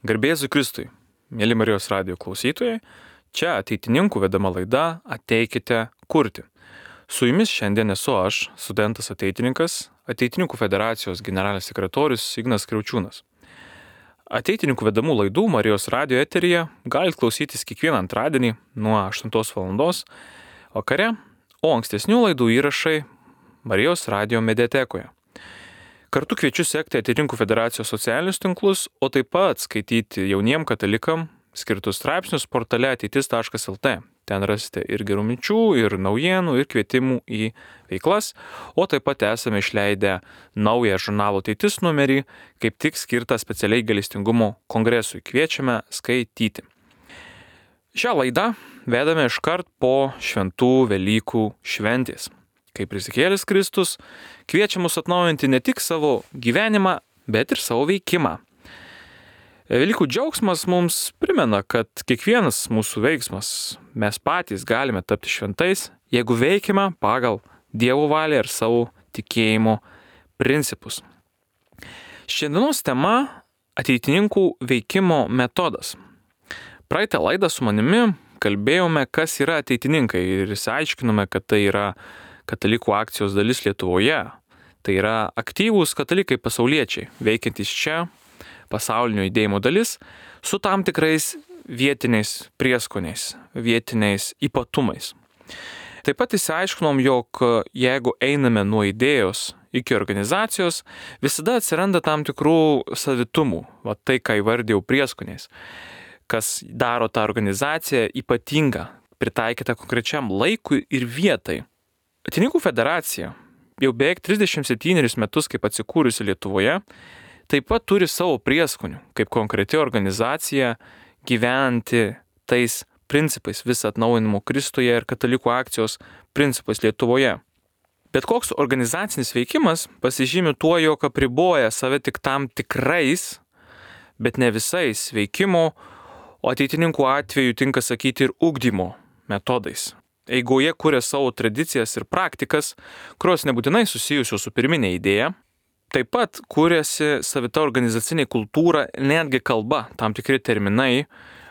Garbėzu Kristui, mėly Marijos radijo klausytojai, čia ateitininkų vedama laida Ateikite kurti. Su jumis šiandien esu aš, studentas ateitininkas, Ateitininkų federacijos generalinis sekretorius Ignas Kriaučiūnas. Ateitininkų vedamų laidų Marijos radijo eteryje galite klausytis kiekvieną antradienį nuo 8 val. Vakare, o ankstesnių laidų įrašai Marijos radijo mediatekoje. Kartu kviečiu sekti Ateitininkų federacijos socialinius tinklus, o taip pat skaityti jauniem katalikam skirtus straipsnius portale ateitis.lt. Ten rasite ir gerų minčių, ir naujienų, ir kvietimų į veiklas, o taip pat esame išleidę naują žurnalo Ateitis numerį, kaip tik skirtą specialiai gailestingumo kongresui. Kviečiame skaityti. Šią laidą vedame iškart po šventų Velykų šventės. Kaip prisikėlęs Kristus kviečia mus atnaujinti ne tik savo gyvenimą, bet ir savo veikimą. Velykų džiaugsmas mums primena, kad kiekvienas mūsų veiksmas mes patys galime tapti šventais, jeigu veikime pagal Dievo valią ir savo tikėjimo principus. Šiandienos tema – ateitininkų veikimo metodas. Praeitą laidą su manimi kalbėjome, kas yra ateitininkai ir išsiaiškinome, kad tai yra katalikų akcijos dalis Lietuvoje. Tai yra aktyvūs katalikai pasauliečiai, veikiantys čia, pasaulinio judėjimo dalis, su tam tikrais vietiniais prieskoniais, vietiniais ypatumais. Taip pat išsiaiškinom, jog jeigu einame nuo idėjos iki organizacijos, visada atsiranda tam tikrų savitumų, tai ką įvardėjau prieskoniais, kas daro tą organizaciją ypatingą, pritaikytą konkrečiam laikui ir vietai. Ateitininkų federacija jau beveik 37 metus kaip atsikūrusi Lietuvoje, taip pat turi savo prieskonių, kaip konkreti organizacija gyventi tais principais visą atnaujinimo Kristuje ir katalikų akcijos principais Lietuvoje. Bet koks organizacinis veikimas pasižymi tuo, jog apriboja save tik tam tikrais, bet ne visais veikimo, o ateitininkų atveju tinka sakyti ir ugdymo metodais. Eigoje kuria savo tradicijas ir praktikas, kurios nebūtinai susijusios su pirminė idėja. Taip pat kūrėsi savita organizacinė kultūra, netgi kalba, tam tikri terminai,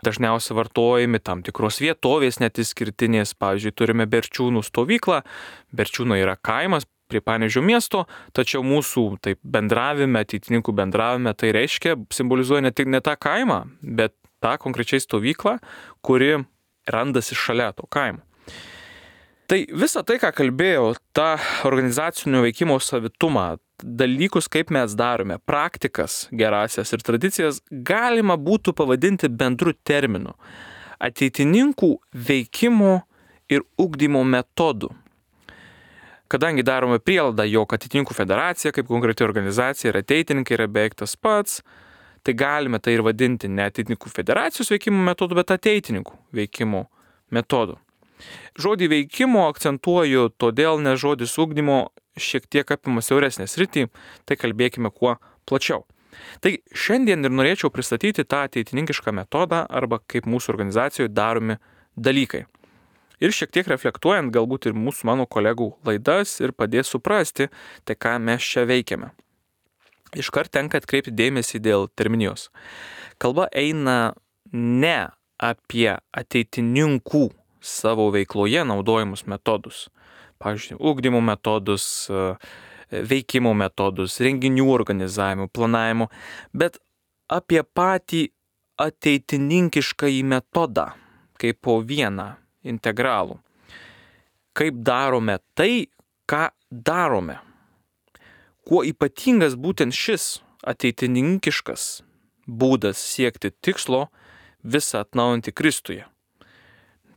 dažniausiai vartojami tam tikros vietovės net išskirtinės. Pavyzdžiui, turime Berčiūnų stovyklą, Berčiūnai yra kaimas prie Panevėžio miesto, tačiau mūsų taip bendravime, ateitininkų bendravime, tai reiškia, simbolizuoja ne tą kaimą, bet tą konkrečiai stovyklą, kuri randasi šalia to kaimo. Tai visą tai, ką kalbėjau, tą organizacinio veikimo savitumą, dalykus, kaip mes darome, praktikas gerasias ir tradicijas, galima būtų pavadinti bendru terminu – ateitininkų veikimo ir ugdymo metodų. Kadangi darome prielaidą, jog ateitininkų federacija, kaip konkreti organizacija ir ateitininkai yra beveik tas pats, tai galime tai ir vadinti ne ateitininkų federacijos veikimo metodu, bet ateitininkų veikimo metodu. Žodį veikimo akcentuoju, todėl nes žodis ugdymo šiek tiek apima siauresnę sritį, tai kalbėkime kuo plačiau. Tai šiandien ir norėčiau pristatyti tą ateitininkišką metodą arba kaip mūsų organizacijoje daromi dalykai. Ir šiek tiek reflektuojant galbūt ir mano kolegų laidas ir padės suprasti, tai ką mes čia veikiame. Iškart tenka atkreipti dėmesį dėl terminijos. Kalba eina ne apie ateitininkų savo veikloje naudojimus metodus. Pavyzdžiui, ugdymo metodus, veikimo metodus, renginių organizavimo, planavimo, bet apie patį ateitininkiškąjį metodą, kaip po vieną integralų. Kaip darome tai, ką darome. Kuo ypatingas būtent šis ateitininkiškas būdas siekti tikslo visą atnaujinti Kristuje.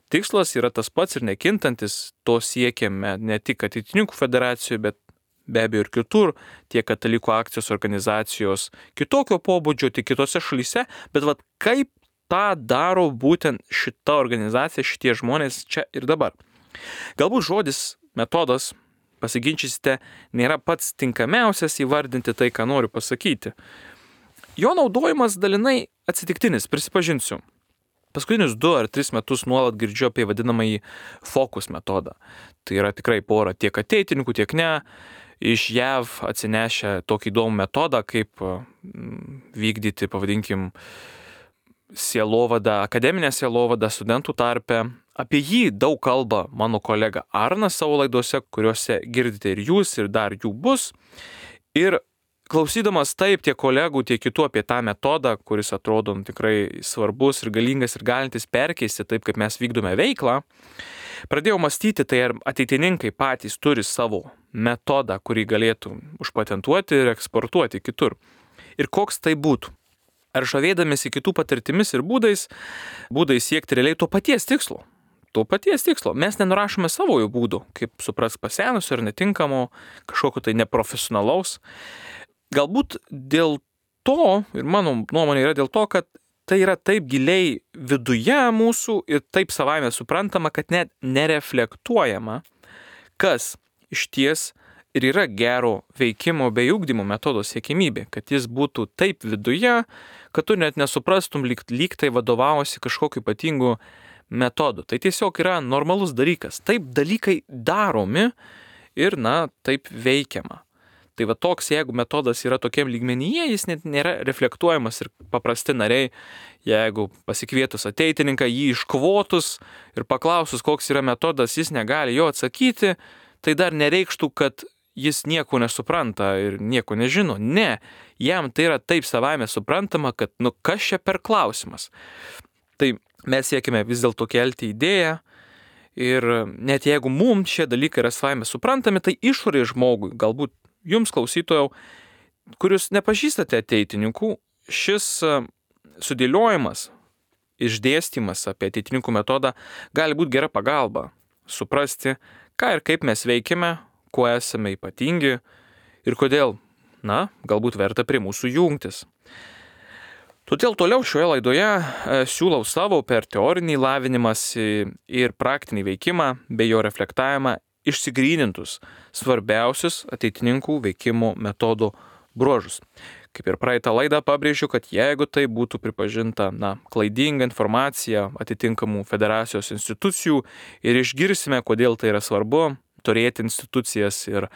Tikslas yra tas pats ir nekintantis, to siekiame ne tik ateitininkų federacijoje, bet be abejo ir kitur, tiek katalikų akcijos organizacijos kitokio pobūdžio, tik kitose šalyse, bet kaip tą daro būtent šita organizacija, šitie žmonės čia ir dabar. Galbūt žodis metodas, pasiginčysite, nėra pats tinkamiausias įvardinti tai, ką noriu pasakyti. Jo naudojimas dalinai atsitiktinis, prisipažinsiu. Paskutinius 2 ar 3 metus nuolat girdžiu apie vadinamąjį fokus metodą. Tai yra tikrai pora tiek ateitininkų, tiek ne, iš JAV atsinešę tokį įdomų metodą, kaip vykdyti, pavadinkim, sielovada, akademinė sielovada studentų tarpe. Apie jį daug kalba mano kolega Arnas savo laidose, kuriuose girdite ir jūs, ir dar jų bus. Ir klausydamas taip tiek kolegų, tiek kitų apie tą metodą, kuris atrodo tikrai svarbus ir galingas ir galintis perkeisti taip, kaip mes vykdome veiklą, pradėjau mąstyti, tai ar ateitininkai patys turi savo metodą, kurį galėtų užpatentuoti ir eksportuoti kitur. Ir koks tai būtų? Ar žavėdamėsi kitų patirtimis ir būdais siekti realiai to paties tikslo. Mes nenurašome savojo būdų, kaip supras pasenusio ir netinkamo, kažkokio tai neprofesionalaus. Galbūt dėl to, ir mano nuomonė yra dėl to, kad tai yra taip giliai viduje mūsų ir taip savaime suprantama, kad net nereflektuojama, kas iš ties ir yra gero veikimo bei ugdymo metodo siekimybė, kad jis būtų taip viduje, kad tu net nesuprastum, lyg tai vadovavosi kažkokiu ypatingu metodu. Tai tiesiog yra normalus dalykas. Taip dalykai daromi ir, taip veikiama. Tai va toks, jeigu metodas yra tokiam lygmenyje, jis net nėra reflektuojamas ir paprasti nariai, jeigu pasikvietus ateitininką, jį iškvotus ir paklausus, koks yra metodas, jis negali jo atsakyti, tai dar nereikštų, kad jis nieko nesupranta ir nieko nežino. Ne, jam tai yra taip savaime suprantama, kad kas čia per klausimas. Tai mes siekime vis dėlto kelti idėją ir net jeigu mums šie dalykai yra savaime suprantami, tai išorėje žmogui, galbūt jums klausytojau, kurius nepažįstate ateitininkų, šis sudėliojimas, išdėstymas apie ateitininkų metodą gali būti gera pagalba suprasti, ką ir kaip mes veikiame, kuo esame ypatingi ir kodėl, galbūt verta prie mūsų jungtis. Todėl toliau šioje laidoje siūlau savo per teorinį lavinimąsi ir praktinį veikimą bei jo reflektavimą išsigrynintus svarbiausius ateitininkų veikimo metodų bruožus. Kaip ir praeitą laidą pabrėžiu, kad jeigu tai būtų pripažinta klaidinga informacija atitinkamų federacijos institucijų ir išgirsime, kodėl tai yra svarbu, turėti institucijas ir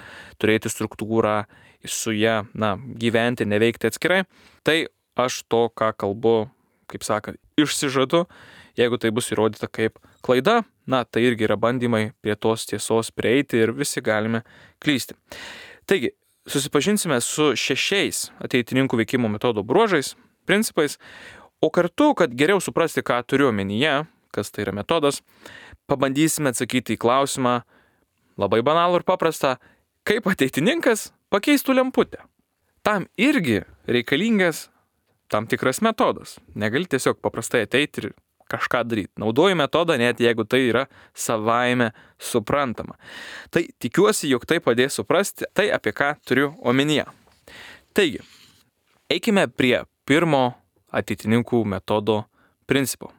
turėti struktūrą, su ją gyventi, neveikti atskirai, tai aš to, ką kalbu, kaip sakant, išsižadu, jeigu tai bus įrodyta kaip klaida, tai irgi yra bandymai prie tos tiesos prieiti ir visi galime klysti. Taigi, susipažinsime su 6 ateitininkų veikimo metodo bruožais, principais, o kartu, kad geriau suprasti, ką turiu omenyje, kas tai yra metodas, pabandysime atsakyti į klausimą labai banalų ir paprastą, kaip ateitininkas pakeistų lemputę. Tam irgi reikalingas tam tikras metodas. Negali tiesiog paprastai ateiti ir kažką daryti. Naudoju metodą, net jeigu tai yra savaime suprantama. Tai tikiuosi, jog tai padės suprasti tai, apie ką turiu omenyje. Taigi, eikime prie pirmo ateitininkų metodo principo.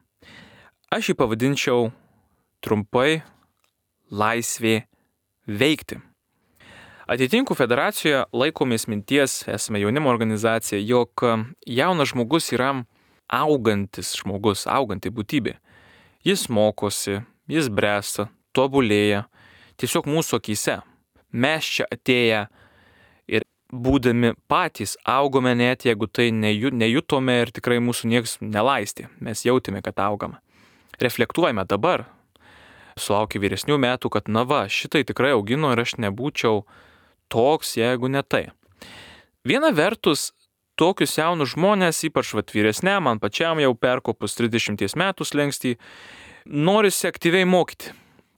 Aš jį pavadinčiau trumpai laisvė veikti. Ateitininkų federacijoje laikomės minties, esame jaunimo organizacija, jog jaunas žmogus yra auganti būtybė. Jis mokosi, jis bręsta, tobulėja, tiesiog mūsų akyse. Mes čia atėję ir būdami patys augome, net jeigu tai nejutome ir tikrai mūsų nieks nelaistė. Mes jautėme, kad augame. Reflektuojame dabar, sulaukę vyresnių metų, kad šitai tikrai augino ir aš nebūčiau toks, jeigu ne tai. Viena vertus, tokius jaunus žmonės, ypač vyresniam, man pačiam jau perkopus 30 metų slengstį, norisi aktyviai mokyti.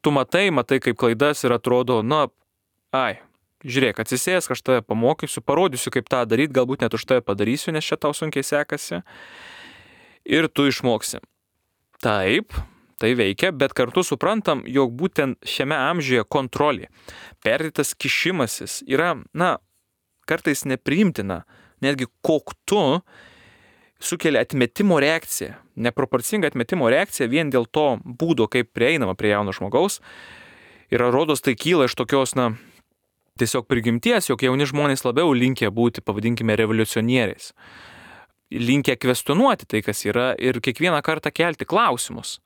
Tu matai kaip klaidas ir atrodo, žiūrėk, atsisėsk, aš tave pamokysiu, parodysiu, kaip tą daryti, galbūt net už tave padarysiu, nes čia tau sunkiai sekasi. Ir tu išmoksi. Taip, tai veikia, bet kartu suprantam, jog būtent šiame amžiuje kontrolė, perdėtas kišimasis yra, kartais nepriimtina, netgi koktu sukelia atmetimo reakciją, neproporcinga atmetimo reakcija vien dėl to būdo, kaip prieinama prie jauno žmogaus. Ir rodos tai kyla iš tokios, tiesiog prigimties, jog jauni žmonės labiau linkę būti, pavadinkime, revoliucionieriais. Linkę kvestionuoti tai, kas yra ir kiekvieną kartą kelti klausimus.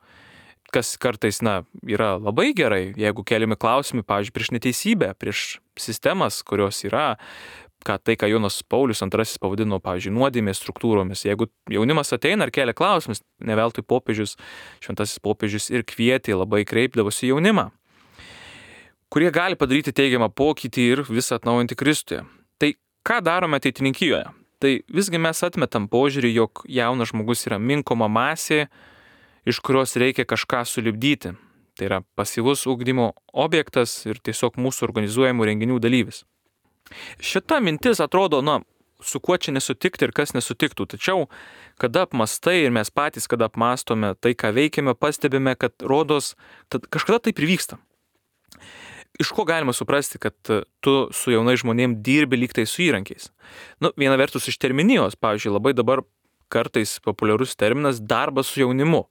Kas kartais, yra labai gerai, jeigu keliami klausimai, pavyzdžiui, prieš neteisybę, prieš sistemas, kurios yra, ką Jonas Paulius II pavadino, pavyzdžiui, nuodėmės struktūromis. Jeigu jaunimas ateina ir kelia klausimus, ne veltui šventasis popiežius ir kvietė, labai kreipdavosi jaunimą, kurie gali padaryti teigiamą pokytį ir visą atnaujinti Kristuje. Tai ką darome ateitininkijoje? Tai visgi mes atmetam požiūrį, jog jaunas žmogus yra minkoma masė, iš kurios reikia kažką sulipdyti. Tai yra pasyvus ugdymo objektas ir tiesiog mūsų organizuojamų renginių dalyvis. Šita mintis atrodo, su kuo čia nesutikti ir kas nesutiktų. Tačiau, kada apmastai ir mes patys, kada apmastome tai, ką veikiame, pastebime, kad rodos, kažkada taip ir vyksta. Iš ko galima suprasti, kad tu su jaunai žmonėm dirbi lyg tai su įrankiais? Viena vertus iš terminijos, pavyzdžiui, labai dabar kartais populiarus terminas darbas su jaunimu.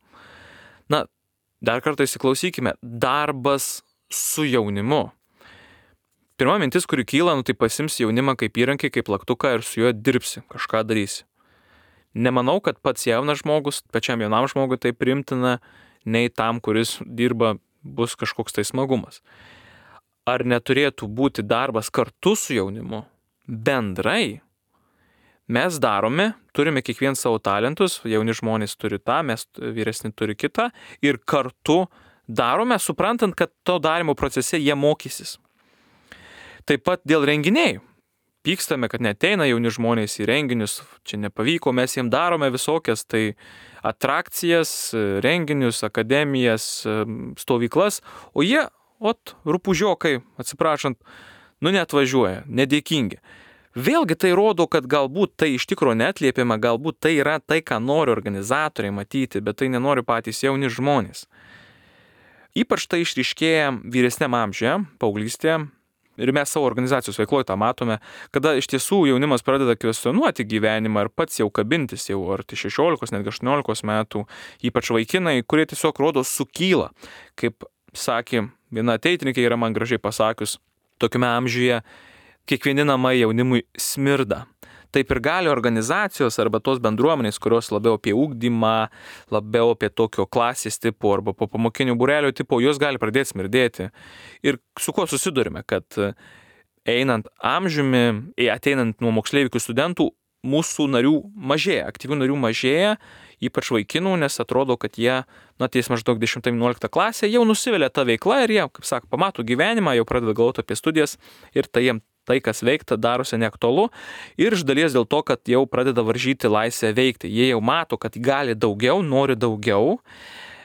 Dar kartą įsiklausykime, darbas su jaunimu. Pirma mintis, kuri kyla, tai pasims jaunimą kaip įrankį, kaip plaktuką ir su juo dirbsi, kažką darysi. Nemanau, kad pats jaunas žmogus, pačiam jaunam žmogui tai priimtina, nei tam, kuris dirba, bus kažkoks tai smagumas. Ar neturėtų būti darbas kartu su jaunimu? Bendrai mes darome, turime kiekvien savo talentus, jauni žmonės turi tą, mes vyresni turi kitą ir kartu darome, suprantant, kad to darimo procese jie mokysis. Taip pat dėl renginiai. Pykstame, kad neteina jauni žmonės į renginius, čia nepavyko, mes jiems darome visokias tai atrakcijas, renginius, akademijas, stovyklas, o jie, rupūžiokai, atsiprašant, neatvažiuoja, nedėkingi. Vėlgi tai rodo, kad galbūt tai iš tikrųjų neatliepiama, galbūt tai yra tai, ką nori organizatoriai matyti, bet tai nenori patys jauni žmonės. Ypač tai išryškėja vyresniam amžiuje, paauglystėje, ir mes savo organizacijos veikloje tą matome, kada iš tiesų jaunimas pradeda kvestionuoti gyvenimą ir pats jau kabintis, jau arti 16, netgi 18 metų, ypač vaikinai, kurie tiesiog rodo sukyla. Kaip sakė viena ateitininkė, yra man gražiai pasakius, tokiame amžiuje kiekvieni namai jaunimui smirda. Taip ir gali organizacijos arba tos bendruomenės, kurios labiau apie ugdymą, labiau apie tokio klasės tipo arba po pamokinių būrelio tipo, jos gali pradėti smirdėti. Ir su kuo susidurime, kad einant amžiumi, ateinant nuo moksleivių studentų, mūsų narių mažėja, aktyvių narių mažėja, ypač vaikinų, nes atrodo, kad jie, ties maždaug 10-11 klasė, jau nusivelia tą veiklą ir jie, kaip sako, pamato gyvenimą, jau pradeda galvoti apie studijas ir tai, kas veikta, darosi neaktualu ir iš dalies dėl to, kad jau pradeda varžyti laisvę veikti. Jie jau mato, kad gali daugiau, nori daugiau,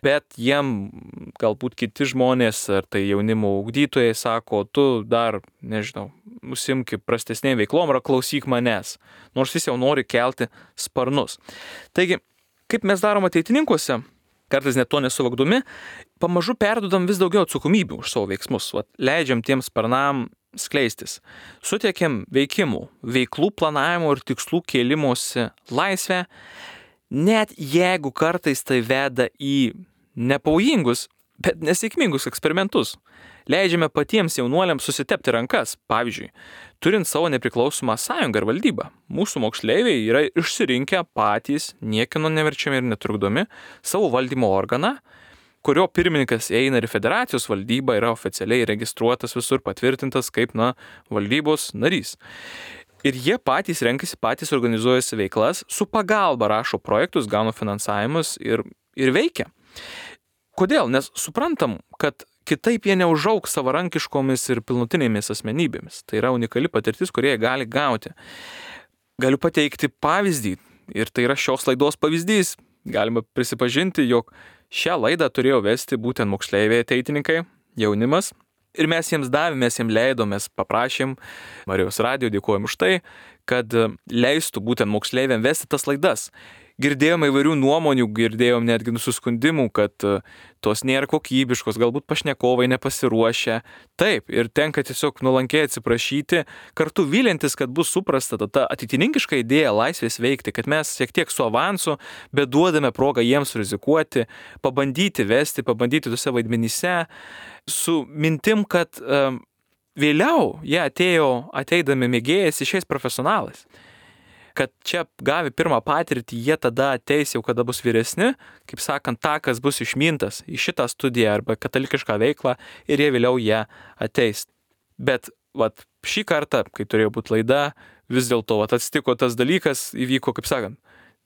bet jiem galbūt kiti žmonės, ar tai jaunimo ugdytojai sako, tu dar, užsimk prastesnėm veiklom ar klausyk manęs, nors jis jau nori kelti sparnus. Taigi, kaip mes darom ateitininkuose, kartais net to nesuvokdami, pamažu perdodam vis daugiau atsakomybių už savo veiksmus, leidžiam tiems sparnam skleistis. Suteikiam veikimų, veiklų planavimo ir tikslų kėlimosi laisvę, net jeigu kartais tai veda į nepavojingus, bet nesėkmingus eksperimentus. Leidžiame patiems jaunuoliams susitepti rankas. Pavyzdžiui, turint savo nepriklausomą sąjungą ir valdybą, mūsų moksleiviai yra išsirinkę patys, niekieno neverčiami ir netrukdomi, savo valdymo organą, kurio pirmininkas eina ir federacijos valdyba yra oficialiai registruotas visur, patvirtintas kaip, valdybos narys. Ir jie patys renkasi, patys organizuojasi veiklas, su pagalba rašo projektus, gauna finansavimus ir veikia. Kodėl? Nes suprantam, kad kitaip jie neužaugs savarankiškomis ir pilnutinėmis asmenybėmis. Tai yra unikali patirtis, kurie gali gauti. Galiu pateikti pavyzdį ir tai yra šios laidos pavyzdys. Galima prisipažinti, jog šią laidą turėjo vesti būtent moksleiviai ateitininkai, jaunimas. Ir mes jiems davėm, mes jiems leidom, mes paprašėm Marijos radijo, dėkojom už tai, kad leistų būtent moksleiviam vesti tas laidas. Girdėjom įvairių nuomonių, girdėjom netgi nusiskundimų, kad tos nėra kokybiškos, galbūt pašnekovai nepasiruošę. Taip, ir tenka tiesiog nuolankiai atsiprašyti, kartu vylintis, kad bus suprasta ta ateitininkiška idėja laisvės veikti, kad mes šiek tiek su avansu, bet duodame progą jiems rizikuoti, pabandyti vesti, pabandyti tuose vaidmenyse, su mintim, kad vėliau jie ateidami mėgėjais išeis profesionalais. Kad čia gavę pirmą patirtį, jie tada ateis jau, kada bus vyresni, kaip sakant, takas bus išmintas į šitą studiją arba katalikišką veiklą ir jie vėliau ateis. Bet Šį kartą, kai turėjo būti laida, vis dėlto atsitiko tas dalykas, įvyko, kaip sakant,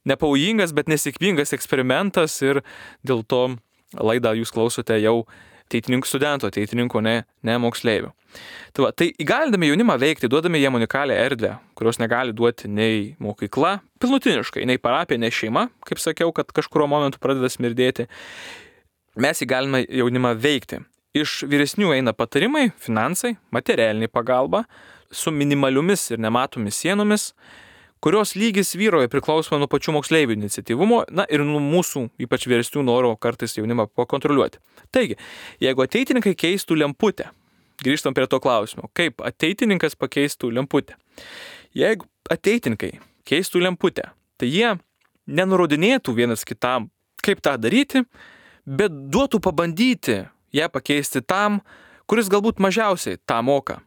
nepavojingas, bet nesėkmingas eksperimentas ir dėl to laidą jūs klausote jau ateitininkų studentų, ateitininkų, ne moksleivių. Tai įgalindami jaunimą veikti, duodami jiem unikalią erdvę, kurios negali duoti nei mokykla, pilnutiniškai, nei parapija, nei šeima, kaip sakiau, kad kažkurio momentu pradeda smirdėti. Mes įgaliname jaunimą veikti. Iš vyresnių eina patarimai, finansai, materialinė pagalba, su minimaliomis ir nematomis sienomis, kurios lygis vyroja priklausomai nuo pačių moksleivių iniciatyvumo, ir nuo mūsų, ypač vyresnių, noro kartais jaunimą pakontroliuoti. Taigi, jeigu ateitininkai keistų lemputę, grįžtam prie to klausimo, kaip ateitininkas pakeistų lemputę. Jeigu ateitininkai keistų lemputę, tai jie nenurodinėtų vienas kitam, kaip tą daryti, bet duotų pabandyti ją pakeisti tam, kuris galbūt mažiausiai tą moka.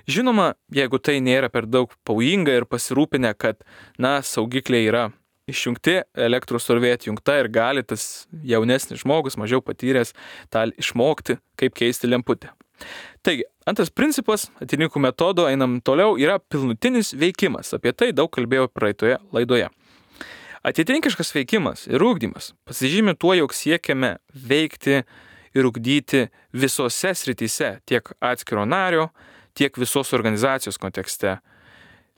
Žinoma, jeigu tai nėra per daug pavojinga ir pasirūpinę, kad, saugikliai yra išjungti, elektros srovė atjungta ir gali tas jaunesnis žmogus, mažiau patyręs, tą išmokti, kaip keisti lemputę. Taigi, antras principas, ateitininkų metodo, einam toliau, yra pilnutinis veikimas. Apie tai daug kalbėjau praeitoje laidoje. Ateitininkiškas veikimas ir ugdymas pasižymi tuo, jog siekiame veikti ir ugdyti visose srityse, tiek atskiro nario, tiek visos organizacijos kontekste.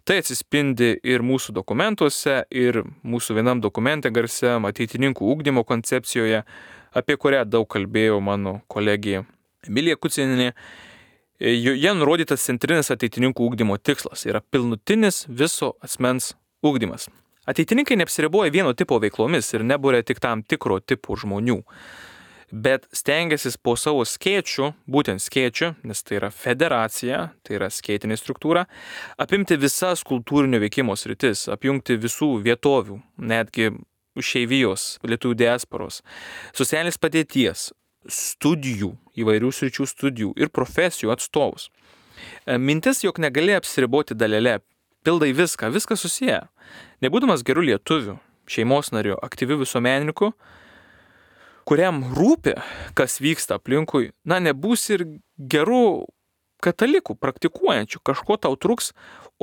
Tai atsispindi ir mūsų dokumentuose, ir mūsų vienam dokumente garsiam ateitininkų ugdymo koncepcijoje, apie kurią daug kalbėjo mano kolegija Emilija Kucinienė. Joje nurodytas centrinis ateitininkų ugdymo tikslas yra pilnutinis viso asmens ugdymas. Ateitininkai neapsiriboja vieno tipo veiklomis ir nebūrė tik tam tikro tipo žmonių, bet stengiasi po savo skėčių, būtent skėčių, nes tai yra federacija, tai yra skėtinė struktūra, apimti visas kultūrinio veikimo sritis, apjungti visų vietovių, netgi šeivijos, lietuvių diasporos, socialinės padėties, studijų, įvairių sričių studijų ir profesijų atstovus. Mintis, jog negali apsiriboti dalelę, pildai viską susiję. Nebūdamas gerų lietuvių, šeimos narių, aktyvių visuomenininkų, kuriam rūpi, kas vyksta aplinkui, nebūs ir gerų katalikų, praktikuojančių, kažko tau truks,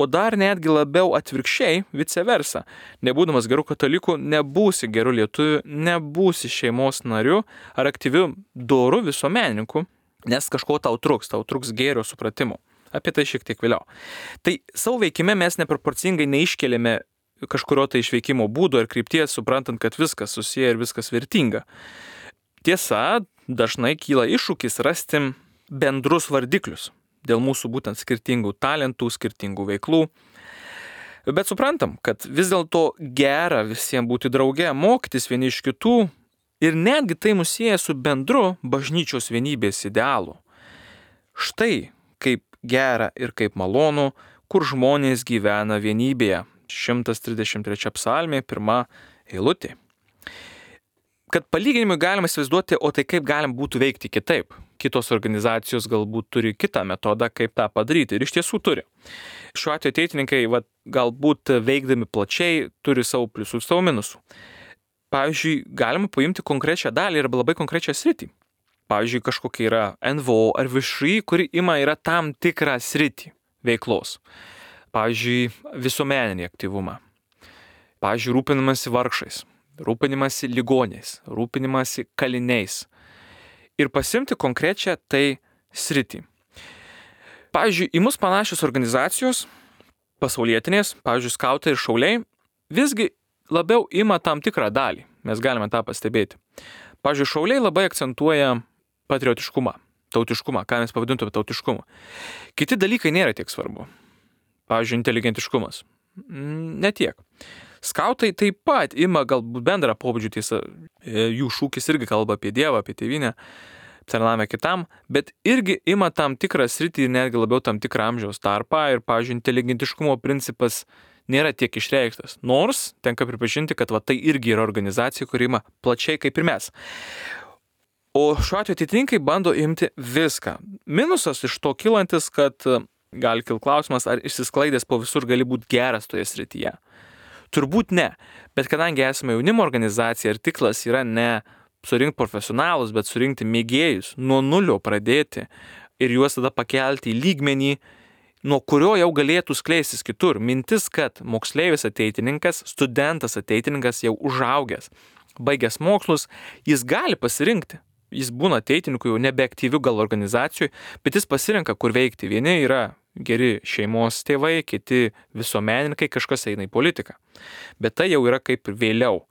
o dar netgi labiau atvirkščiai, vice versa. Nebūdamas gerų katalikų, nebūsi gerų lietuvių, nebūsi šeimos narių ar aktyvių dorų visuomenininkų, nes kažko tau truks gėrio supratimo. Apie tai šiek tiek vėliau. Tai savo veikime mes neproporcingai neiškeliame kažkurio tai išveikimo būdo ir krypties, suprantant, kad viskas susiję ir viskas vertinga. Tiesa, dažnai kyla iššūkis rasti bendrus vardiklius dėl mūsų būtent skirtingų talentų, skirtingų veiklų. Bet suprantam, kad vis dėlto gera visiems būti drauge, mokytis vieni iš kitų ir netgi tai mus sieja su bendru bažnyčios vienybės idealu. Štai kaip gera ir kaip malonu, kur žmonės gyvena vienybėje. 133 psalmė, 1 eilutė. Kad palyginimui galima įsivaizduoti, o tai kaip galim būtų veikti kitaip. Kitos organizacijos galbūt turi kitą metodą, kaip tą padaryti. Ir iš tiesų turi. Šiuo atveju ateitininkai galbūt veikdami plačiai turi savo pliusų ir savo minusų. Pavyzdžiui, galima paimti konkrečią dalį ir labai konkrečią sritį. Pavyzdžiui, kažkokia yra NVO ar VŠI, kuri yra tam tikrą sritį veiklos. Pavyzdžiui, visuomeninį aktyvumą. Pavyzdžiui, rūpinimasi vargšais, rūpinimasi ligoniais, rūpinimasi kaliniais. Ir pasimti konkrečią tai sritį. Pavyzdžiui, į mus panašios organizacijos, pasaulietinės, pavyzdžiui, skautai ir šauliai, visgi labiau ima tam tikrą dalį. Mes galime tą pastebėti. Pavyzdžiui, šauliai labai akcentuoja patriotiškumą, tautiškumą, ką mes pavadintume tautiškumu. Kiti dalykai nėra tiek svarbu. Pavyzdžiui, inteligentiškumas. Ne tiek. Skautai taip pat ima galbūt bendrą pobūdžių, tiesa, jų šūkis irgi kalba apie Dievą, apie tėvynę, tarnavimą kitam, bet irgi ima tam tikrą sritį ir netgi labiau tam tikrą amžiaus tarpą ir, pavyzdžiui, inteligentiškumo principas nėra tiek išreikštas. Nors tenka pripažinti, kad tai irgi yra organizacija, kuri ima plačiai kaip ir mes. O šiuo atveju ateitininkai bando imti viską. Minusas iš to kilantis, kad gali kilti klausimas, ar išsisklaidęs po visur gali būti geras toje srityje. Turbūt ne, bet kadangi esame jaunimo organizacija ir tikslas yra ne surinkti profesionalus, bet surinkti mėgėjus, nuo nulio pradėti ir juos tada pakelti į lygmenį, nuo kurio jau galėtų skleistis kitur. Mintis, kad moksleivis ateitininkas, studentas ateitininkas jau užaugęs, baigęs mokslus, jis gali pasirinkti. Jis būna ateitininku jau nebeaktyviu gal organizacijui, bet jis pasirenka, kur veikti. Vieni yra geri šeimos tėvai, kiti visuomenininkai, kažkas eina į politiką. Bet tai jau yra kaip ir vėliau.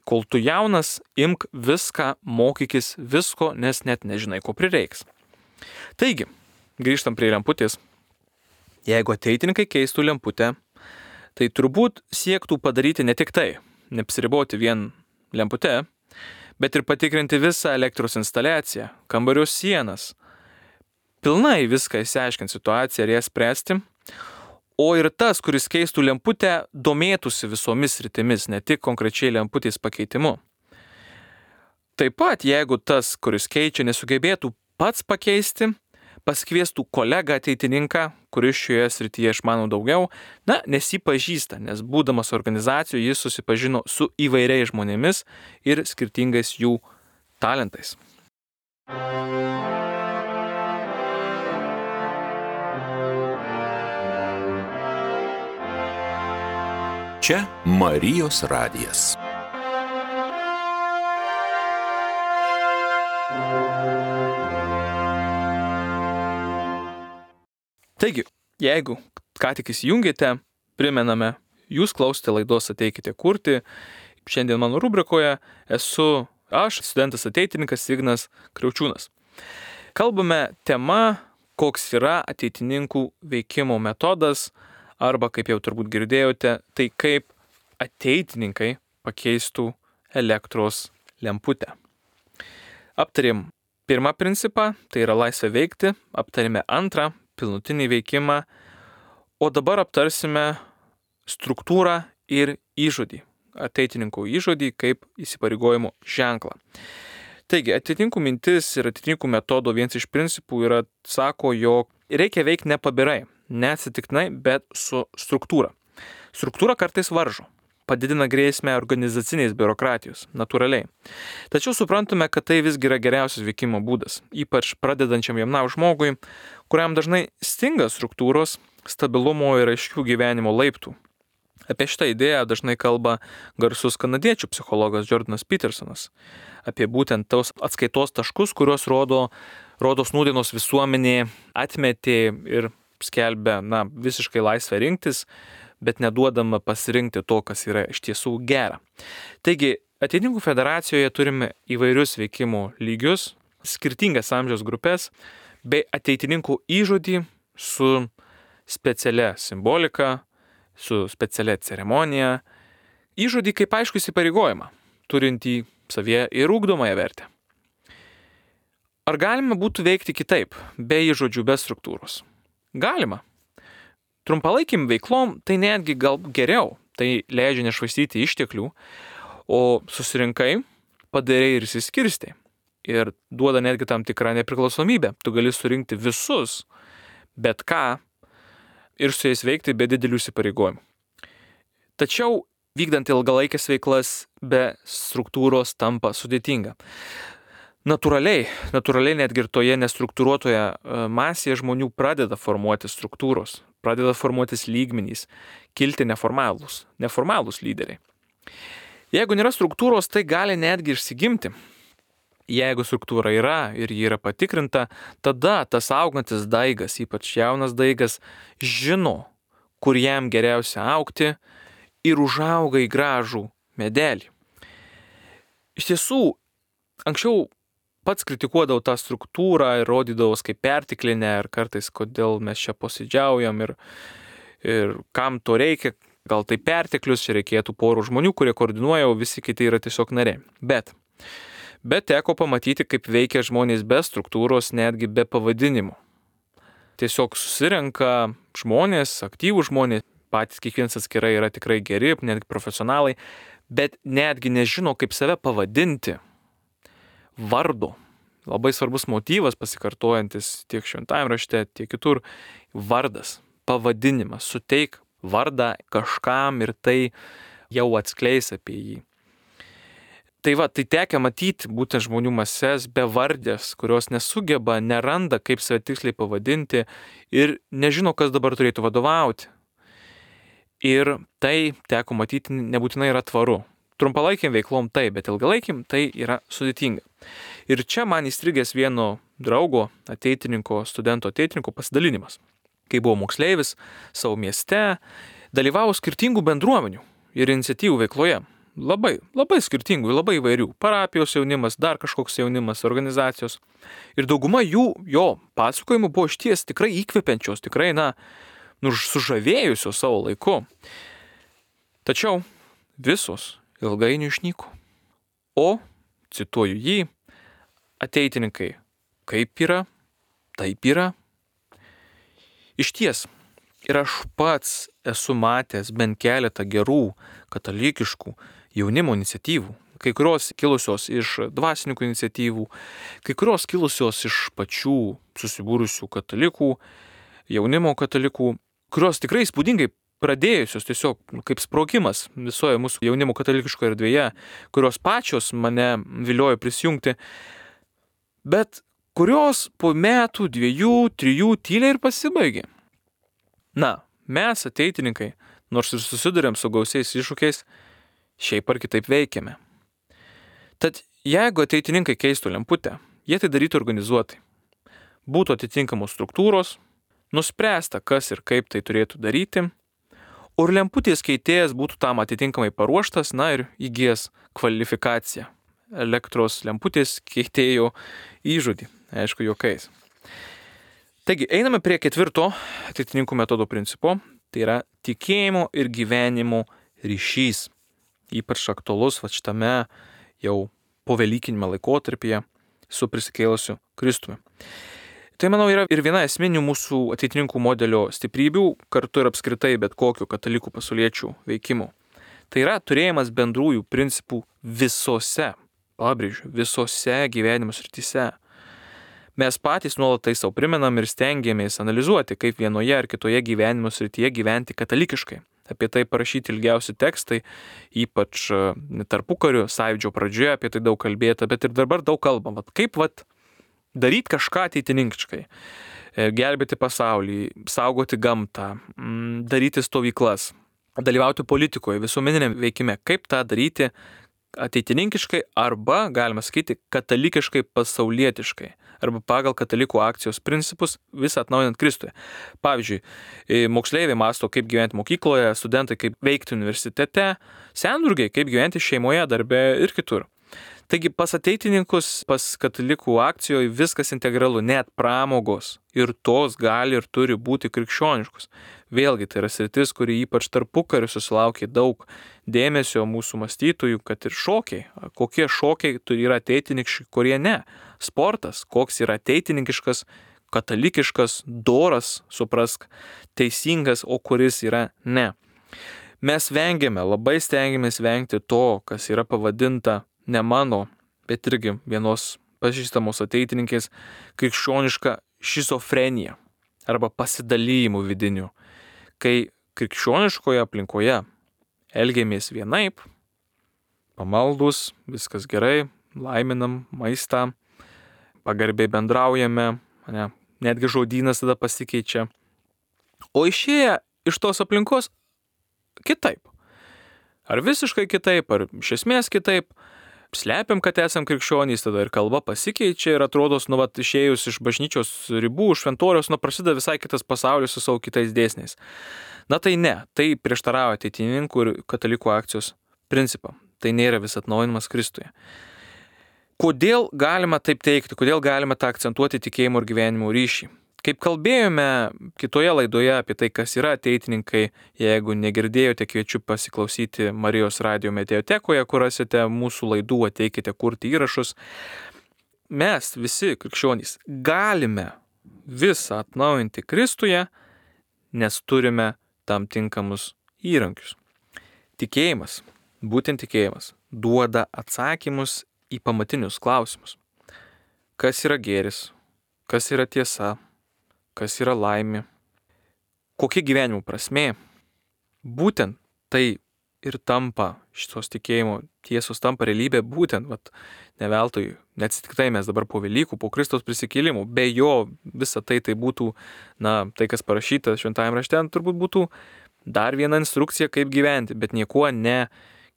Kol tu jaunas, imk viską, mokykis visko, nes net nežinai, ko prireiks. Taigi, grįžtam prie lemputės. Jeigu ateitininkai keistų lemputę, tai turbūt siektų padaryti ne tik tai, neapsiriboti vien lemputę, bet ir patikrinti visą elektros instaliaciją, kambario sienas, pilnai viską išsiaiškinti situaciją ir ją spręsti, o ir tas, kuris keistų lemputę, domėtųsi visomis sritimis, ne tik konkrečiai lemputės pakeitimu. Taip pat, jeigu tas, kuris keičia, nesugebėtų pats pakeisti, pasikviestų kolegą ateitininką, kuris šioje srityje išmano daugiau, nes jį pažįsta, nes būdamas organizacijoje jis susipažino su įvairiais žmonėmis ir skirtingais jų talentais. Čia Marijos radijas. Taigi, jeigu ką tik įsijungėte, primename, jūs klausite laidos Ateikite kurti. Šiandien mano rubrikoje esu aš, studentas ateitininkas Ignas Kriaučiūnas. Kalbame tema, koks yra ateitininkų veikimo metodas, arba, kaip jau turbūt girdėjote, tai kaip ateitininkai pakeistų elektros lemputę. Aptarėm pirmą principą, tai yra laisvė veikti, aptarėme antrą, pilnutinį veikimą, o dabar aptarsime struktūrą ir įžodį, ateitininkų įžodį kaip įsipareigojimo ženklą. Taigi, ateitininkų mintis ir ateitininkų metodo vienas iš principų yra, sako, jog reikia veikti nepabirai, neatsitiktinai, bet su struktūra. Struktūra kartais varžo, padidina grėsmę organizacinės biurokratijos, natūraliai. Tačiau suprantame, kad tai visgi yra geriausias veikimo būdas, ypač pradedančiam jaunam žmogui, kuriam dažnai stinga struktūros, stabilumo ir aiškių gyvenimo laiptų. Apie šitą idėją dažnai kalba garsus kanadiečių psichologas Jordanas Petersonas, apie būtent tos atskaitos taškus, kuriuos rodos nūdienos visuomenė atmetė ir skelbia visiškai laisvę rinktis, bet neduodama pasirinkti to, kas yra iš tiesų gera. Taigi, ateitininkų federacijoje turime įvairius veikimo lygius, skirtingas amžiaus grupės, bei ateitininkų įžodį su specialia simbolika, su specialia ceremonija, įžodį kaip aišku įsipareigojimą, turintį savyje ir ugdomąją vertę. Ar galima būtų veikti kitaip, be įžodžių, be struktūros? Galima. Trumpalaikim veiklom tai netgi gal geriau, tai leidžia nešvaistyti išteklių, o susirinkai, padarai ir išsiskirstai. Ir duoda netgi tam tikrą nepriklausomybę. Tu gali surinkti visus, bet ką, ir su jais veikti be didelių įsipareigojimų. Tačiau vykdant ilgalaikės veiklas be struktūros tampa sudėtinga. Natūraliai netgi ir toje nestruktūruotoje masėje žmonių pradeda formuoti struktūros, pradeda formuotis lygmenys, kilti neformalūs lyderiai. Jeigu nėra struktūros, tai gali netgi išsigimti. Jeigu struktūra yra ir ji yra patikrinta, tada tas augantis daigas, ypač jaunas daigas, žino, kur jam geriausia augti ir užauga į gražų medelį. Iš tiesų, anksčiau pats kritikuodavau tą struktūrą ir rodydavau kaip pertiklinę ir kartais, kodėl mes čia posėdžiaujam ir kam to reikia, gal tai perteklius, čia reikėtų porų žmonių, kurie koordinuoja, o visi kiti yra tiesiog nariai. Bet teko pamatyti, kaip veikia žmonės be struktūros, netgi be pavadinimų. Tiesiog susirenka žmonės, aktyvūs žmonės, patys kiekvienas atskirai yra tikrai geri, netgi profesionalai, bet netgi nežino, kaip save pavadinti. Vardo. Labai svarbus motyvas pasikartojantis tiek šventajame rašte, tiek kitur. Vardas, pavadinimas. Suteik vardą kažkam ir tai jau atskleis apie jį. Tai tekia matyti būtent žmonių mases bevardės, kurios nesugeba, neranda, kaip save tiksliai pavadinti ir nežino, kas dabar turėtų vadovauti. Ir tai teko matyti nebūtinai yra tvaru. Trumpalaikiam veiklom tai, bet ilgalaikiam tai yra sudėtinga. Ir čia man įstrigęs vieno draugo, studento ateitininko pasidalinimas. Kai buvo moksleivis savo mieste, dalyvavo skirtingų bendruomenių ir iniciatyvų veikloje. Labai skirtingų, labai įvairių. Parapijos jaunimas, dar kažkoks jaunimas, organizacijos. Ir dauguma jo pasakojimų buvo išties tikrai įkvepiančios, tikrai, sužavėjusios savo laiku. Tačiau visos ilgainiui išnyko. O, cituoju jį, ateitininkai, kaip yra, taip yra. Išties, ir aš pats esu matęs bent keletą gerų katalikiškų jaunimo iniciatyvų, kai kurios kilusios iš dvasininkų iniciatyvų, kai kurios kilusios iš pačių susibūrusių katalikų, jaunimo katalikų, kurios tikrai įspūdingai pradėjusios tiesiog kaip sprogimas visoje mūsų jaunimo katalikiškoje erdvėje, kurios pačios mane viliojo prisijungti, bet kurios po metų, 2, 3 tyliai ir pasibaigė. Mes ateitininkai, nors ir susidurėm su gausiais iššūkiais, šiaip ar kitaip veikiame. Tad jeigu ateitininkai keistų lemputę, jie tai darytų organizuotai. Būtų atitinkamos struktūros, nuspręsta, kas ir kaip tai turėtų daryti, o ir lemputės keitėjas būtų tam atitinkamai paruoštas, ir įgijęs kvalifikaciją. Elektros lemputės keitėjo įžodį, aišku, juokais. Taigi, einame prie 4 ateitininkų metodo principo, tai yra tikėjimo ir gyvenimo ryšys. Ypač aktualus šitame jau povelykinime laikotarpyje su prisikėlusiu Kristumi. Tai, manau, yra ir viena esminių mūsų ateitininkų modelio stiprybių, kartu ir apskritai bet kokių katalikų pasauliečių veikimų. Tai yra turėjimas bendrųjų principų visose gyvenimo srityse. Mes patys nuolat tai savo primenam ir stengiamės analizuoti, kaip vienoje ar kitoje gyvenimo srityje gyventi katalikiškai. Apie tai parašyti ilgiausi tekstai, ypač tarpukariu, sąjūdžio pradžioje apie tai daug kalbėta, bet ir dabar daug kalbam. Kaip daryti kažką ateitininkiškai, gelbėti pasaulį, saugoti gamtą, daryti stovyklas, dalyvauti politikoje, visuomeniniam veikime, kaip tą daryti ateitininkiškai arba, galima sakyti, katalikiškai pasaulietiškai arba pagal katalikų akcijos principus visą atnaujinant Kristuje. Pavyzdžiui, moksleiviai mąsto, kaip gyventi mokykloje, studentai kaip veikti universitete, senburgiai kaip gyventi šeimoje, darbe ir kitur. Taigi pas ateitininkus, pas katalikų akcijoje viskas integralu, net pramogos ir tos gali ir turi būti krikščioniškos. Vėlgi tai yra sritis, kuri ypač tarpukariu susilaukė daug dėmesio mūsų mąstytojų, kad ir šokiai. Kokie šokiai yra ateitininkiški, kurie ne. Sportas, koks yra ateitininkiškas, katalikiškas, doras, suprask, teisingas, o kuris yra ne. Mes labai stengiamės vengti to, kas yra pavadinta ne mano, bet irgi vienos pažįstamos ateitininkės krikščioniška šizofrenija arba pasidalijimų vidinių, kai krikščioniškoje aplinkoje elgiamės vienaip, pamaldus, viskas gerai, laiminam maistą, pagarbiai bendraujame, netgi žodynas tada pasikeičia, o išėję iš tos aplinkos kitaip. Ar visiškai kitaip, ar iš esmės kitaip, slepiam, kad esam krikščionys, tada ir kalba pasikeičia ir atrodo, išėjus iš bažnyčios ribų, šventoriaus, prasideda visai kitas pasaulis su savo kitais dėsniais. Tai ne, tai prieštarauja ateitininkų ir katalikų akcijos principą. Tai nėra vis atnaujinimas Kristuje. Kodėl galima taip teikti, kodėl galima tą akcentuoti tikėjimo ir gyvenimo ryšį? Kaip kalbėjome kitoje laidoje apie tai, kas yra ateitininkai, jeigu negirdėjote, kviečiu pasiklausyti Marijos radijo mediatekoje, kur rasite mūsų laidų, ateikite kurti įrašus. Mes visi krikščionys galime visą atnaujinti Kristuje, nes turime tam tinkamus įrankius. Tikėjimas, būtent tikėjimas, duoda atsakymus į pamatinius klausimus. Kas yra gėris, kas yra tiesa, kas yra laimė, kokia gyvenimo prasmė. Būtent tai ir tampa šitos tikėjimo tiesos, tampa realybė būtent, ne veltui, neatsitiktai mes dabar po Velykų, po Kristaus prisikėlimų, be jo visa tai būtų, tai kas parašyta šventajame rašte, turbūt būtų dar viena instrukcija, kaip gyventi, bet niekuo ne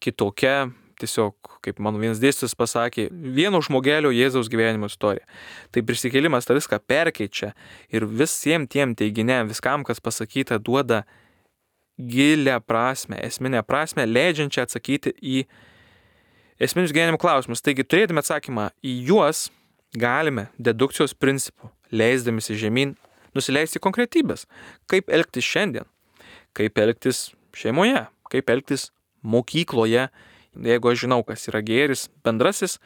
kitokia, tiesiog, kaip mano vienas dėstytojas pasakė, vieno žmogelio Jėzaus gyvenimo istorija. Tai prisikėlimas tą viską perkeičia ir visiems tiem teiginiam, viskam, kas pasakyta, duoda gilią prasme, esminę prasme, leidžiančią atsakyti į esminius gyvenimo klausimus. Taigi, turėdami atsakymą į juos, galime dedukcijos principų, leisdamisi žemyn, nusileisti konkretybės. Kaip elgtis šiandien, kaip elgtis šeimoje, kaip elgtis mokykloje. Jeigu aš žinau, kas yra gėris bendrasis,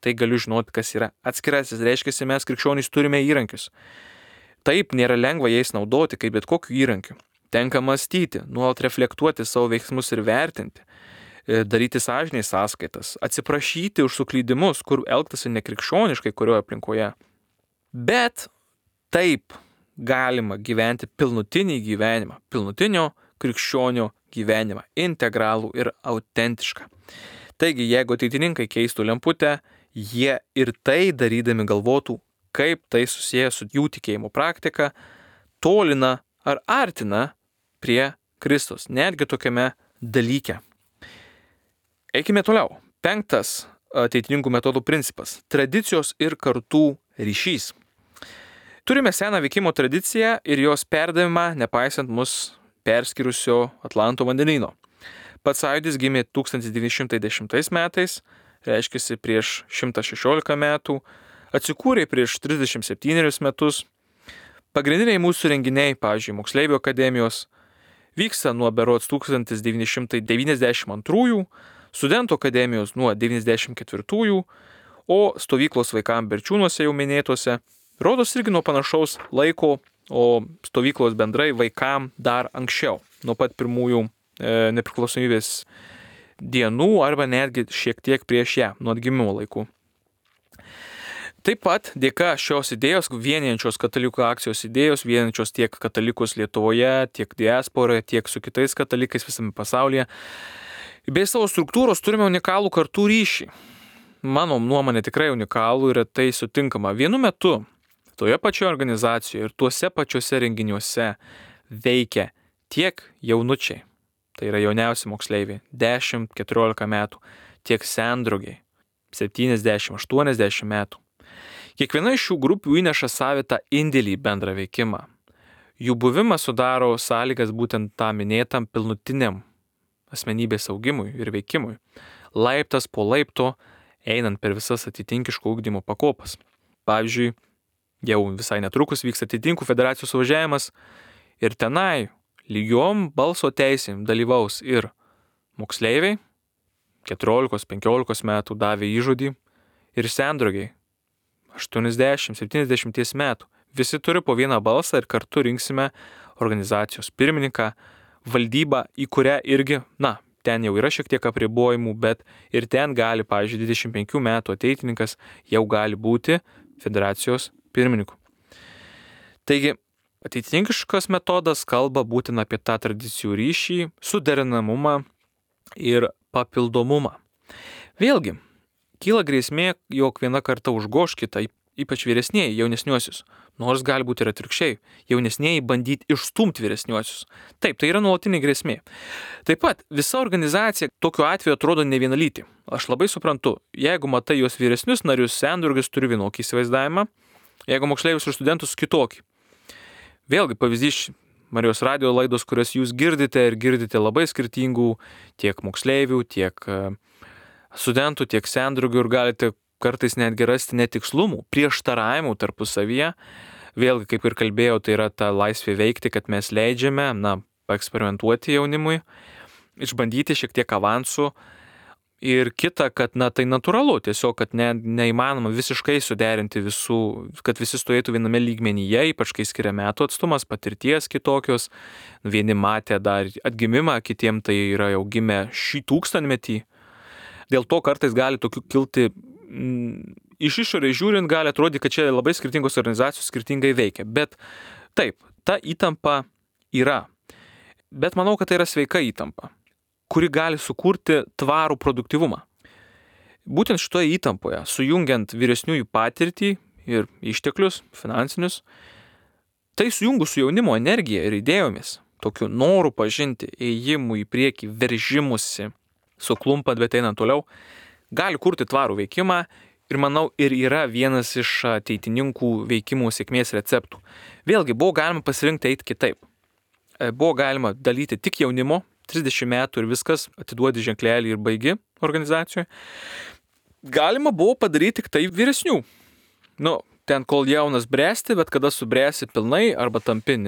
tai galiu žinoti, kas yra atskirasis. Reiškia, mes krikščionys turime įrankius. Taip, nėra lengva jais naudoti, kaip bet kokiu įrankiu. Tenka mąstyti, nuolat reflektuoti savo veiksmus ir vertinti, daryti sąžiniai sąskaitas, atsiprašyti už suklydimus, kur elgtasi nekrikščioniškai kurioje aplinkoje. Bet taip galima gyventi pilnutinį gyvenimą, pilnutinio krikščionio gyvenimą, integralų ir autentišką. Taigi, jeigu ateitininkai keistų lemputę, jie ir tai darydami galvotų, kaip tai susiję su jų tikėjimo praktika, tolina ar artina prie Kristus, netgi tokiame dalyke. Eikime toliau. 5. Ateitininkų metodų principas – tradicijos ir kartų ryšys. Turime seną veikimo tradiciją ir jos perdavimą, nepaisant mus perskirusio Atlanto vandenyno. Pats sąjūdis gimė 1910 metais, reiškiasi prieš 116 metų, atsikūrė prieš 37 metus. Pagrindiniai mūsų renginiai, pavyzdžiui, Moksleivių akademijos, vyksta nuo berods 1992, Studentų akademijos nuo 1994, o stovyklos vaikams Berčiūnuose jau minėtose, rodos irgi nuo panašaus laiko, o stovyklos bendrai vaikams dar anksčiau, nuo pat pirmųjų nepriklausomybės dienų arba netgi šiek tiek prieš ją, nuo atgimimo laikų. Taip pat dėka šios idėjos, vienijančios katalikų akcijos idėjos, vienijančios tiek katalikus Lietuvoje, tiek diasporoje, tiek su kitais katalikais visame pasaulyje, bei savo struktūros turime unikalų kartų ryšį. Mano nuomonė tikrai unikalų ir tai sutinkama. Vienu metu toje pačioje organizacijoje ir tuose pačiuose renginiuose veikia tiek jaunučiai, tai yra jauniausi moksleiviai, 10-14 metų, tiek sendrogiai, 70-80 metų. Kiekviena iš šių grupių įneša savitą indėlį į bendrą veikimą. Jų buvimas sudaro sąlygas būtent tam minėtam pilnutiniam asmenybės augimui ir veikimui, laiptas po laipto einant per visas atitinkiško ugdymo pakopas. Pavyzdžiui, jau visai netrukus vyks atitinkų federacijos suvažiavimas ir tenai lygiom balso teisėm dalyvaus ir moksleiviai, 14-15 metų davė įžodį, ir sendrogiai, 80-70 metų. Visi turi po vieną balsą ir kartu rinksime organizacijos pirmininką, valdybą, į kurią irgi, ten jau yra šiek tiek apribojimų, bet ir ten gali, pavyzdžiui, 25 metų ateitininkas jau gali būti federacijos pirmininku. Taigi, ateitininkiškas metodas kalba būtent apie tą tradicijų ryšį, suderinamumą ir papildomumą. Vėlgi, kyla grėsmė, jog viena karta užgoš kitą, ypač vyresnieji, jaunesniuosius. Nors gali būti ir atvirkščiai, jaunesnieji bandyti išstumti vyresniuosius. Taip, tai yra nuolatinė grėsmė. Taip pat visa organizacija tokiu atveju atrodo nevienalytė. Aš labai suprantu, jeigu matai jos vyresnius narius, sendrugis turi vienokį įsivaizdavimą, jeigu moksleivius ir studentus kitokį. Vėlgi pavyzdys Marijos radijo laidos, kurias jūs girdite ir girdite labai skirtingų tiek moksleivių, tiek studentų, tiek sendrugių ir galite kartais netgi rasti netikslumų, prieštaravimų tarpusavyje. Vėlgi, kaip ir kalbėjau, tai yra ta laisvė veikti, kad mes leidžiame, paeksperimentuoti jaunimui, išbandyti šiek tiek avansų. Ir kita, kad tai natūralu, tiesiog, kad neįmanoma visiškai suderinti visų, kad visi stovėtų viename lygmenyje, ypač kai skiria metų atstumas, patirties kitokios. Vieni matė dar atgimimą, kitiem tai yra jau gimę šį tūkstantmetį. Dėl to kartais gali tokių kilti, iš išorės žiūrint, gali atrodyti, kad čia labai skirtingos organizacijos skirtingai veikia. Bet taip, ta įtampa yra. Bet manau, kad tai yra sveika įtampa. kuri gali sukurti tvarų produktyvumą. Būtent šitoje įtampoje, sujungiant vyresniųjų patirtį ir išteklius finansinius, tai sujungus su jaunimo energija ir idėjomis, tokiu noru pažinti, ėjimu į priekį, veržimusi, suklumpant, bet einant toliau, gali kurti tvarų veikimą ir manau ir yra vienas iš ateitininkų veikimų sėkmės receptų. Vėlgi, buvo galima pasirinkti eiti kitaip. Buvo galima dalyti tik jaunimo, 30 metų ir viskas, atiduodi ženklelį ir baigi organizacijoje. Galima buvo padaryti tik tai vyresnių. Ten kol jaunas bręsti, bet kada subręsi pilnai arba tampi,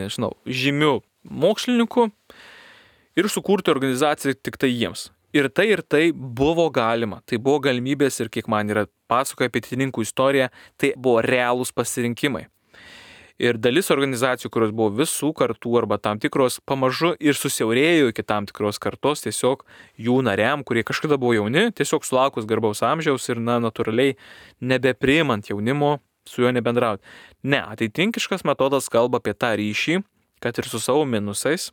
žymiu mokslininku ir sukurti organizaciją tik tai jiems. Ir tai buvo galima. Tai buvo galimybės ir kiek man yra pasakoja apie ateitininkų istoriją, tai buvo realūs pasirinkimai. Ir dalis organizacijų, kurios buvo visų kartų arba tam tikros pamažu ir susiaurėjo iki tam tikros kartos, tiesiog jų nariam, kurie kažkada buvo jauni, tiesiog sulaukus garbaus amžiaus ir natūraliai nebepriimant jaunimo, su juo nebendrauti. Ne, ateitininkiškas metodas kalba apie tą ryšį, kad ir su savo minusais,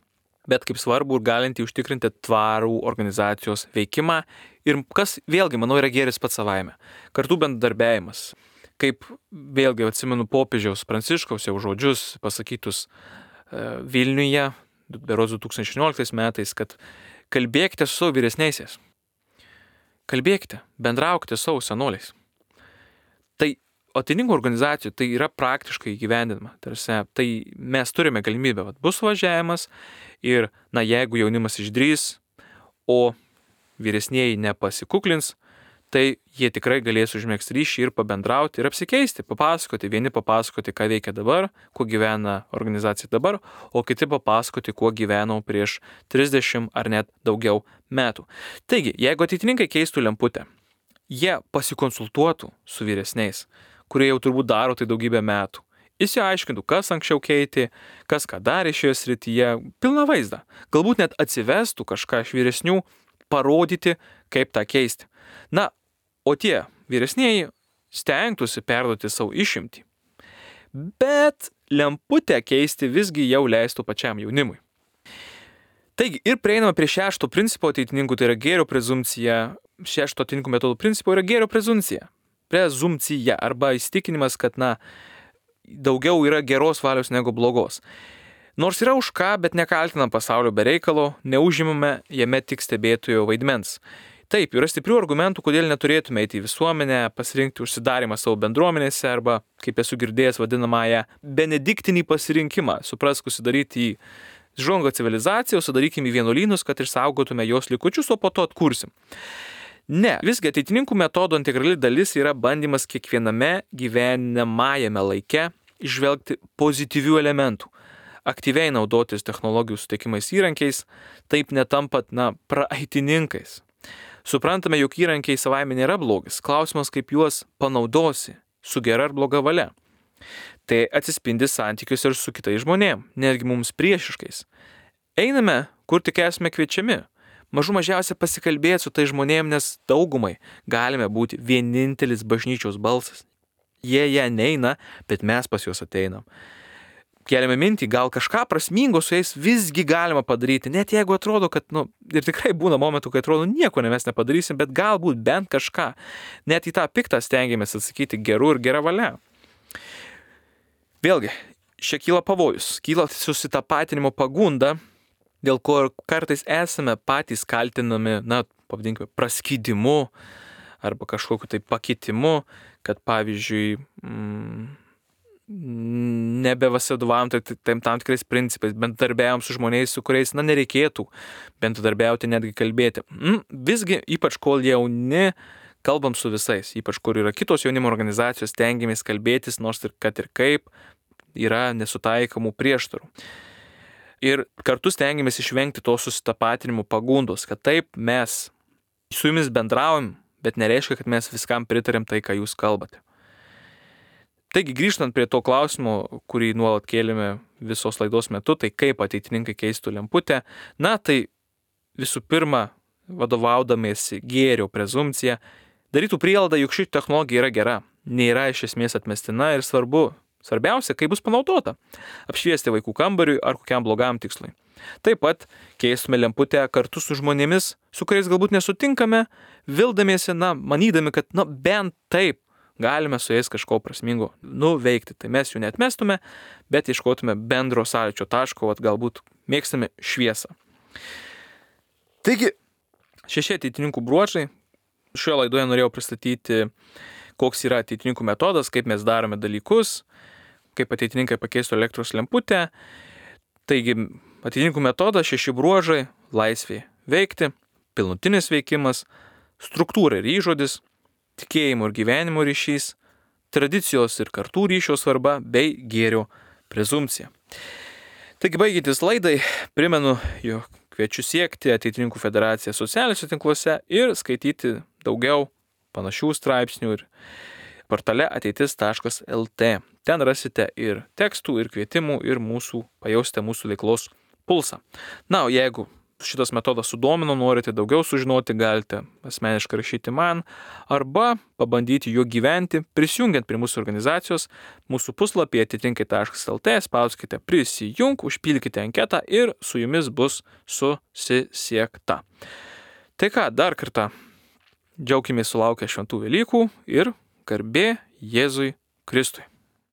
bet kaip svarbu ir galinti užtikrinti tvarų organizacijos veikimą ir kas vėlgi, manau, yra gėris pats savaime. Kartu bendradarbiavimas. Kaip vėlgi atsimenu popiežiaus Pranciškaus jau žodžius pasakytus Vilniuje, berods 2016 metais, kad kalbėkite su savo vyresniaisiais. Kalbėkite, bendraukite su savo senoliais. Tai ateitininkų organizacijų tai yra praktiškai įgyvendinama. Tai mes turime galimybę, bus važiavimas ir, jeigu jaunimas išdrys, o vyresnieji nepasikuklins, tai jie tikrai galės užmėgsti ryšį ir pabendrauti ir apsikeisti, papasakoti. Vieni papasakoti, ką veikia dabar, kuo gyvena organizacija dabar, o kiti papasakoti, kuo gyvenau prieš 30 ar net daugiau metų. Taigi, jeigu ateitininkai keistų lemputę, jie pasikonsultuotų su vyresniais, kurie jau turbūt daro tai daugybę metų. Išsiaiškintų, kas anksčiau keitė, kas ką darė šioje srityje, pilną vaizdą. Galbūt net atsivestų kažką iš vyresnių, parodyti, kaip tą keisti. O tie vyresnieji stengtųsi perduoti savo išimtį. Bet lemputę keisti visgi jau leistų pačiam jaunimui. Taigi ir prieinama prie 6 principo ateitininkų, tai yra gėrio prezumcija. 6 ateitininkų metodų principo yra gėrio prezumcija. Prezumcija arba įsitikinimas, kad daugiau yra geros valios negu blogos. Nors yra už ką, bet nekaltinam pasaulio be reikalo, neužimame jame tik stebėtojo vaidmens. Taip, yra stiprių argumentų, kodėl neturėtume eiti į visuomenę, pasirinkti užsidarimą savo bendruomenėse arba, kaip esu girdėjęs, vadinamąją benediktinį pasirinkimą, suprask, užsidaryti į žongo civilizaciją, sudarykime į vienuolynus, kad išsaugotume jos likučius, o po to atkursim. Ne, visgi ateitininkų metodo integrali dalis yra bandymas kiekviename gyvenamajame laike išvelgti pozityvių elementų, aktyviai naudotis technologijų suteikimais įrankiais, taip netampat, praeitininkais. Suprantame, jog įrankiai savaime nėra blogis. Klausimas, kaip juos panaudosi, su gera ar bloga valia. Tai atsispindi santykius ir su kitais žmonėm, netgi mums priešiškais. Einame, kur tik esame kviečiami. Mažų mažiausia pasikalbėti su tai žmonėm, nes daugumai galime būti vienintelis bažnyčios balsas. Jie neina, bet mes pas juos ateinam. Keliame mintį, gal kažką prasmingo su jais visgi galima padaryti, net jeigu atrodo, kad, ir tikrai būna momentų, kai atrodo, nieko mes nepadarysim, bet galbūt bent kažką. Net į tą piktą stengiamės atsakyti geru ir gera valia. Vėlgi, čia kyla pavojus, kyla susitapatinimo pagunda, dėl ko kartais esame patys kaltinami, pavadinkime, praskydimu arba kažkokiu tai pakitimu, kad pavyzdžiui, nebevadovavom tam tikrais principais, bendradarbiavom su žmonėmis, su kuriais, nereikėtų bendradarbiauti, netgi kalbėti. Visgi, ypač kol jauni, kalbam su visais, ypač kur yra kitos jaunimo organizacijos, stengiamės kalbėtis, nors ir kad ir kaip yra nesutaikomų prieštarų. Ir kartu stengiamės išvengti to susitapatinimo pagundos, kad taip mes su jumis bendraujam, bet nereiškia, kad mes viskam pritarėm tai, ką jūs kalbate. Taigi, grįžtant prie to klausimo, kurį nuolat kėlėme visos laidos metu, tai kaip ateitininkai keistų lemputę, tai visų pirma, vadovaudamiesi gėrio prezumcija, darytų prielaidą, jog ši technologija yra gera, nėra iš esmės atmestina ir svarbiausia, kaip bus panaudota, apšviesti vaikų kambariui ar kokiam blogam tikslui. Taip pat keistume lemputę kartu su žmonėmis, su kuriais galbūt nesutinkame, vildamiesi, manydami, kad, bent taip galime su jais kažko prasmingo nuveikti. Tai mes jų neatmestume, bet ieškotume bendro sąlyčio taško, galbūt mėgstame šviesą. Taigi, 6 ateitininkų bruožai. Šioje laidoje norėjau pristatyti, koks yra ateitininkų metodas, kaip mes darome dalykus, kaip ateitininkai pakeistų elektros lemputę. Taigi, ateitininkų metodas 6 bruožai: laisvė veikti, pilnutinis veikimas, struktūra ir įžodis, tikėjimo ir gyvenimo ryšys, tradicijos ir kartų ryšio svarba bei gėrio prezumpcija. Taigi, baigiantis laidai, primenu, jog kviečiu siekti Ateitininkų federaciją socialiniuose tinkluose ir skaityti daugiau panašių straipsnių ir portale ateitis.lt. Ten rasite ir tekstų, ir kvietimų, ir pajausite mūsų veiklos pulsą. O jeigu šitas metodas sudomino, norite daugiau sužinoti, galite asmeniškai rašyti man arba pabandyti juo gyventi, prisijungiant prie mūsų organizacijos. Mūsų puslapyje atitinkai.lt spauskite prisijung, užpildykite anketą ir su jumis bus susisiekta. Tai ką, dar kartą džiaukimės sulaukę šventų Velykų ir garbė Jėzui Kristui.